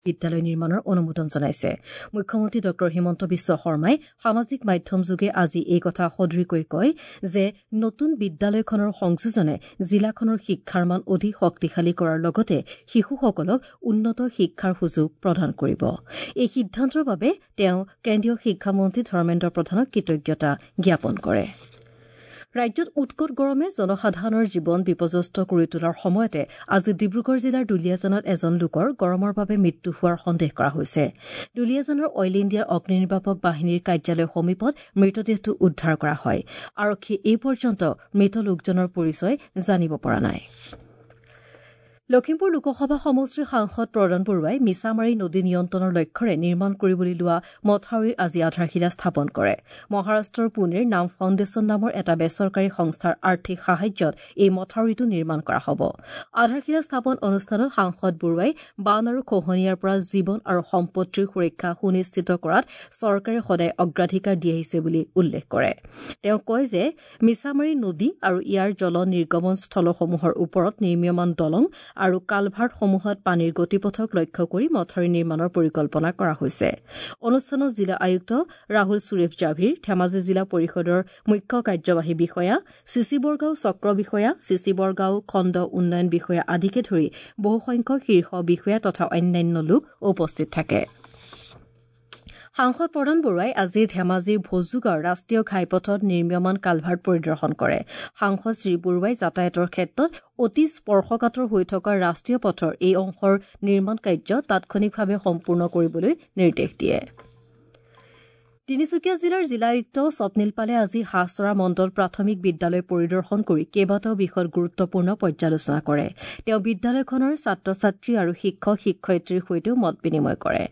বিদ্যালয় নিৰ্মাণৰ অনুমোদন জনাইছে। মুখ্যমন্ত্ৰী ড হিমন্ত বিশ্ব শৰ্মাই সামাজিক মাধ্যমযোগে আজি এই কথা সদৰি কৰি কয় যে নতুন বিদ্যালয়খনৰ সংযোজনে জিলাখনৰ শিক্ষাৰ মান অধিক শক্তিশালী কৰাৰ লগতে শিশুসকলক উন্নত শিক্ষাৰ সুযোগ প্ৰদান কৰিব। এই সিদ্ধান্তৰ বাবে তেওঁ কেন্দ্ৰীয় শিক্ষামন্ত্ৰী ধৰ্মেন্দ্ৰ প্ৰধানক কৃতজ্ঞতা জ্ঞাপন কৰে। ৰাজ্যত উৎকট গৰমে জনসাধাৰণৰ জীৱন বিপৰ্যস্ত কৰি তোলাৰ সময়তে আজি ডিব্ৰুগড় জিলাৰ দুলীয়াজানত এজন লোকৰ গৰমৰ বাবে মৃত্যু হোৱাৰ সন্দেহ কৰা হৈছে। দুলীয়াজানৰ অইল ইণ্ডিয়াৰ অগ্নিনিৰ্বাপক বাহিনীৰ কাৰ্যালয়ৰ সমীপত মৃতদেহটো উদ্ধাৰ কৰা হয়। আৰক্ষীয়ে এই পৰ্যন্ত মৃত লোকজনৰ পৰিচয় জানিব পৰা নাই। লখিমপুৰ লোকসভা সমষ্টিৰ সাংসদ প্ৰদান বৰুৱাই মিছামাৰী নদী নিয়ন্ত্ৰণৰ লক্ষ্যৰে নিৰ্মাণ কৰিবলৈ লোৱা মথাউৰিৰ আজি আধাৰশিলা স্থাপন কৰে। মহাৰাষ্ট্ৰৰ পুনেৰ নাম ফাউণ্ডেশ্যন নামৰ এটা বেচৰকাৰী সংস্থাৰ আৰ্থিক সাহায্যত এই মথাউৰিটো নিৰ্মাণ কৰা হ'ব। আধাৰশিলা স্থাপন অনুষ্ঠানত সাংসদ বৰুৱাই বান আৰু খহনীয়াৰ পৰা জীৱন আৰু সম্পত্তিৰ সুৰক্ষা সুনিশ্চিত কৰাত চৰকাৰে সদায় অগ্ৰাধিকাৰ দি আহিছে বুলি উল্লেখ কৰে। তেওঁ কয় যে মিছামাৰী নদী আৰু ইয়াৰ জল নিৰ্গমন স্থলসমূহৰ ওপৰত নিৰ্মীয়মান দলং আৰু কালভাৰ্টসমূহত পানীৰ গতিপথক লক্ষ্য কৰি মথাউৰি নিৰ্মাণৰ পৰিকল্পনা কৰা হৈছে। অনুষ্ঠানত জিলা আয়ুক্ত ৰাহুল সুৰেশ জাভিৰ, ধেমাজি জিলা পৰিষদৰ মুখ্য কাৰ্যবাহী বিষয়া, চিচিবৰগাঁও চক্ৰ বিষয়া, চিচিবৰগাঁও খণ্ড উন্নয়ন বিষয়া আদিকে ধৰি বহুসংখ্যক শীৰ্ষ বিষয়া তথা অন্যান্য লোক উপস্থিত থাকে। সাংসদ প্ৰদান বৰুৱাই আজি ধেমাজিৰ ভজুগাঁৱৰ ৰাষ্ট্ৰীয় ঘাইপথত নিৰ্মীয়মান কালভাৰ্ট পৰিদৰ্শন কৰে। সাংসদ শ্ৰীবৰুৱাই যাতায়াতৰ ক্ষেত্ৰত অতি স্পৰ্শকাতৰ হৈ থকা ৰাষ্ট্ৰীয় পথৰ এই অংশৰ নিৰ্মাণ কাৰ্য তাৎক্ষণিকভাৱে সম্পূৰ্ণ কৰিবলৈ নিৰ্দেশ দিয়ে। তিনিচুকীয়া জিলাৰ জিলা আয়ুক্ত স্বপ্নীল পালে আজি হাঁহচৰা মণ্ডল প্ৰাথমিক বিদ্যালয় পৰিদৰ্শন কৰি কেইবাটাও বিষয়ত গুৰুত্বপূৰ্ণ পৰ্যালোচনা কৰে। তেওঁ বিদ্যালয়খনৰ ছাত্ৰ ছাত্ৰী আৰু শিক্ষক শিক্ষয়িত্ৰীৰ সৈতেও মত বিনিময় কৰে।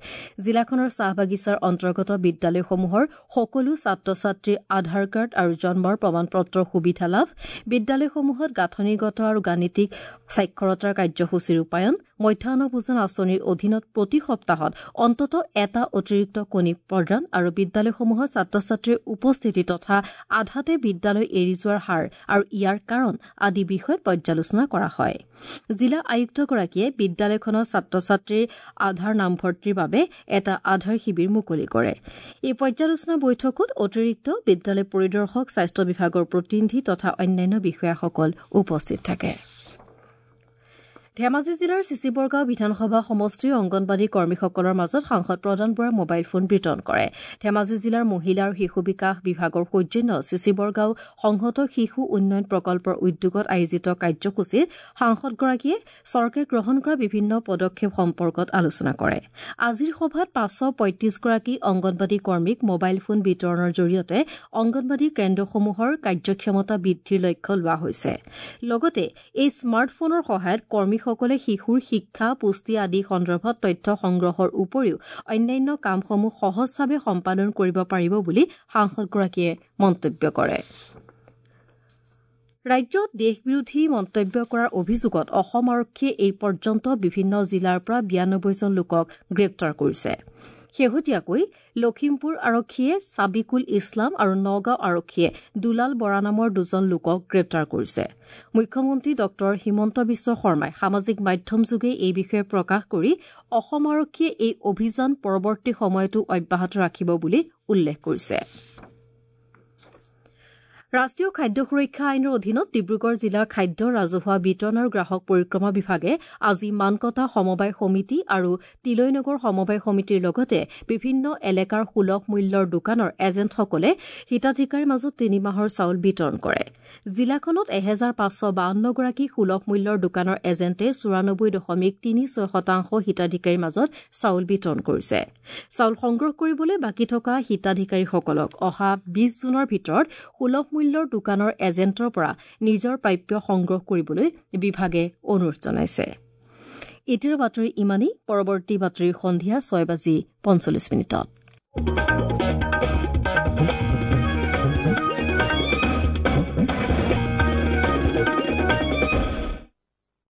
জিলাখনৰ চাহ বাগিচাৰ অন্তৰ্গত বিদ্যালয়সমূহৰ সকলো ছাত্ৰ ছাত্ৰীৰ আধাৰ কাৰ্ড আৰু জন্মৰ প্ৰমাণ পত্ৰৰ সুবিধা লাভ, বিদ্যালয়সমূহত গাঁথনিগত আৰু গাণিতিক সাক্ষৰতাৰ কাৰ্যসূচী ৰূপায়ণ, মধ্যাহ্ন ভোজন আঁচনিৰ অধীনত প্ৰতি সপ্তাহত অন্ততঃ এটা অতিৰিক্ত কণী প্ৰদান আৰু বিদ্যালয়সমূহত ছাত্ৰ ছাত্ৰীৰ উপস্থিতি তথা আধাতে বিদ্যালয় এৰি যোৱাৰ হাৰ আৰু ইয়াৰ কাৰণ আদি বিষয়ত পৰ্যালোচনা কৰা হয়। জিলা আয়ুক্তগৰাকীয়ে বিদ্যালয়খনৰ ছাত্ৰ ছাত্ৰীৰ আধাৰ নামভৰ্তিৰ বাবে এটা আধাৰ শিবিৰ মুকলি কৰে। এই পৰ্যালোচনা বৈঠকত অতিৰিক্ত বিদ্যালয় পৰিদৰ্শক, স্বাস্থ্য বিভাগৰ প্ৰতিনিধি তথা অন্যান্য বিষয়াসকল উপস্থিত থাকে। ধেমাজি জিলাৰ চিচিবৰগাঁও বিধানসভা সমষ্টিৰ অংগনবাড়ী কৰ্মীসকলৰ মাজত সাংসদ প্ৰদান বৰাই মোবাইল ফোন বিতৰণ কৰে। ধেমাজি জিলাৰ মহিলা আৰু শিশু বিকাশ বিভাগৰ সৌজন্যত চিচিবৰগাঁও সংহত শিশু উন্নয়ন প্ৰকল্পৰ উদ্যোগত আয়োজিত কাৰ্যসূচীত সাংসদগৰাকীয়ে চৰকাৰে গ্ৰহণ কৰা বিভিন্ন পদক্ষেপ সম্পৰ্কত আলোচনা কৰে। আজিৰ সভাত 535 গৰাকী অংগনবাড়ী কৰ্মীক মোবাইল ফোন বিতৰণৰ জৰিয়তে অংগনবাড়ী কেন্দ্ৰসমূহৰ কাৰ্যক্ষমতা বৃদ্ধিৰ লক্ষ্য লোৱা হৈছে। লগতে এই স্মাৰ্টফোনৰ সহায়ত কৰ্মী সকলে শিশুৰ শিক্ষা, পুষ্টি আদি সন্দৰ্ভত তথ্য সংগ্ৰহৰ উপৰিও অন্যান্য কামসমূহ সহজভাৱে সম্পাদন কৰিব পাৰিব বুলি সাংসদগৰাকীয়ে মন্তব্য কৰে। ৰাজ্যত দেশবিৰোধী মন্তব্য কৰাৰ অভিযোগত অসম আৰক্ষীয়ে এই পৰ্যন্ত বিভিন্ন জিলাৰ পৰা 92 জন লোকক গ্ৰেপ্তাৰ কৰিছে। শেহতীয়াকৈ লখিমপুৰ আৰক্ষীয়ে ছাবিকুল ইছলাম আৰু নগাঁও আৰক্ষীয়ে দুলাল বৰা নামৰ দুজন লোকক গ্ৰেপ্তাৰ কৰিছে। মুখ্যমন্ত্ৰী ড হিমন্ত বিশ্ব শৰ্মাই সামাজিক মাধ্যমযোগে এই বিষয়ে প্ৰকাশ কৰি অসম আৰক্ষীয়ে এই অভিযান পৰৱৰ্তী সময়তো অব্যাহত ৰাখিব বুলি উল্লেখ কৰিছে। ৰাষ্ট্ৰীয় খাদ্য সুৰক্ষা আইনৰ অধীনত ডিব্ৰুগড় জিলাৰ খাদ্য, ৰাজহুৱা বিতৰণ আৰু গ্ৰাহক পৰিক্ৰমা বিভাগে আজি মানকটা সমবায় সমিতি আৰু তিলৈনগৰ সমবায় সমিতিৰ লগতে বিভিন্ন এলেকাৰ সুলভ মূল্যৰ দোকানৰ এজেণ্টসকলে হিতাধিকাৰীৰ মাজত 3 মাহৰ চাউল বিতৰণ কৰে। জিলাখনত 1552 গৰাকী সুলভ মূল্যৰ দোকানৰ এজেণ্টে 94.36% হিতাধিকাৰীৰ মাজত চাউল বিতৰণ কৰিছে। চাউল সংগ্ৰহ কৰিবলৈ বাকী থকা হিতাধিকাৰীসকলক অহা 20 জুনৰ ভিতৰত সুলভ মূল্যৰ দোকানৰ এজেণ্টৰ পৰা নিজৰ প্ৰাপ্য সংগ্ৰহ কৰিবলৈ বিভাগে অনুৰোধ জনাইছে। এতিয়াৰ বাতৰি ইমানেই। পৰৱৰ্তী বাতৰি সন্ধিয়া 6 বাজি 45 মিনিটত।